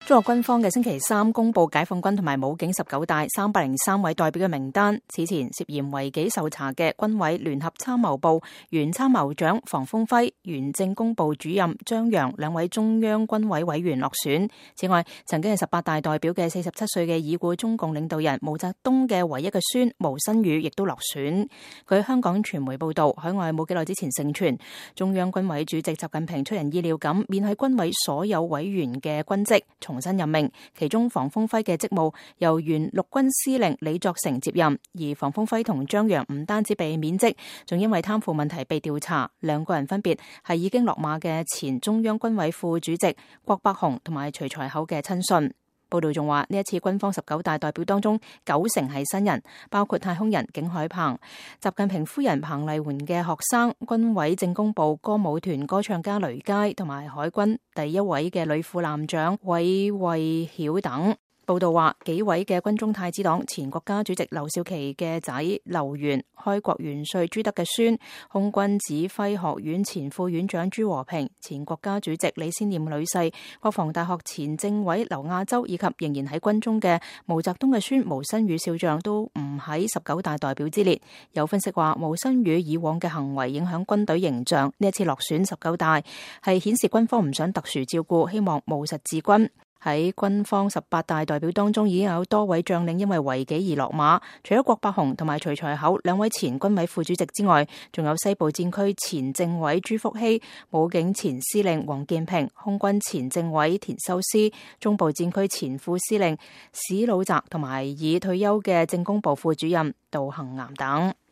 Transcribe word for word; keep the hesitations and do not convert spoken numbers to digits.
中國軍方嘅星期三公布解放軍同埋武警十九大三百零三位代表嘅名單。此前涉嫌違紀受查嘅軍委聯合參謀部原參謀長房峰輝、原政工部主任張陽兩位中央軍委委員落選。此外，曾經係十八大代表嘅四十七歲嘅已故中共領導人毛澤東嘅唯一嘅孫毛新宇亦都落選。據香港傳媒報道，海外冇幾耐之前盛傳中央軍委主席習近平出人意料咁免去軍委所有委員嘅軍職，重新任命，其中房峰輝嘅職務由原陸軍司令李作成接任，而房峰輝同張陽唔單止被免職，仲因為貪腐問題被調查。兩個人分別係已經落馬嘅前中央軍委副主席郭伯雄同埋徐才厚嘅親信。報道仲話，呢一次軍方十九大代表當中，九成係新人，包括太空人景海鵬、習近平夫人彭麗媛嘅學生、軍委政工部歌舞團歌唱家雷佳，同埋海軍第一位嘅女副艦長韋惠曉等。報道話，幾位嘅軍中太子黨前國家主席劉少奇嘅仔劉源、開國元帥朱德嘅孫、空軍指揮學院前副院長朱和平、前國家主席李先念女婿、國防大學前政委劉亞洲以及仍然喺軍中嘅毛澤東嘅孫毛新宇少將都唔喺十九大代表之列。有分析話，毛新宇以往嘅行為影響軍隊形象，呢一次落選十九大係顯示軍方唔想特殊照顧，希望務實治軍。喺軍方十八大代表當中，已經有多位將領因為違紀而落馬，除咗郭伯雄同埋徐才厚兩位前軍委副主席之外，仲有西部戰區前政委朱福熙、武警前司令王建平、空軍前政委田修斯、中部戰區前副司令史魯澤同埋已退休嘅政工部副主任杜恒岩等。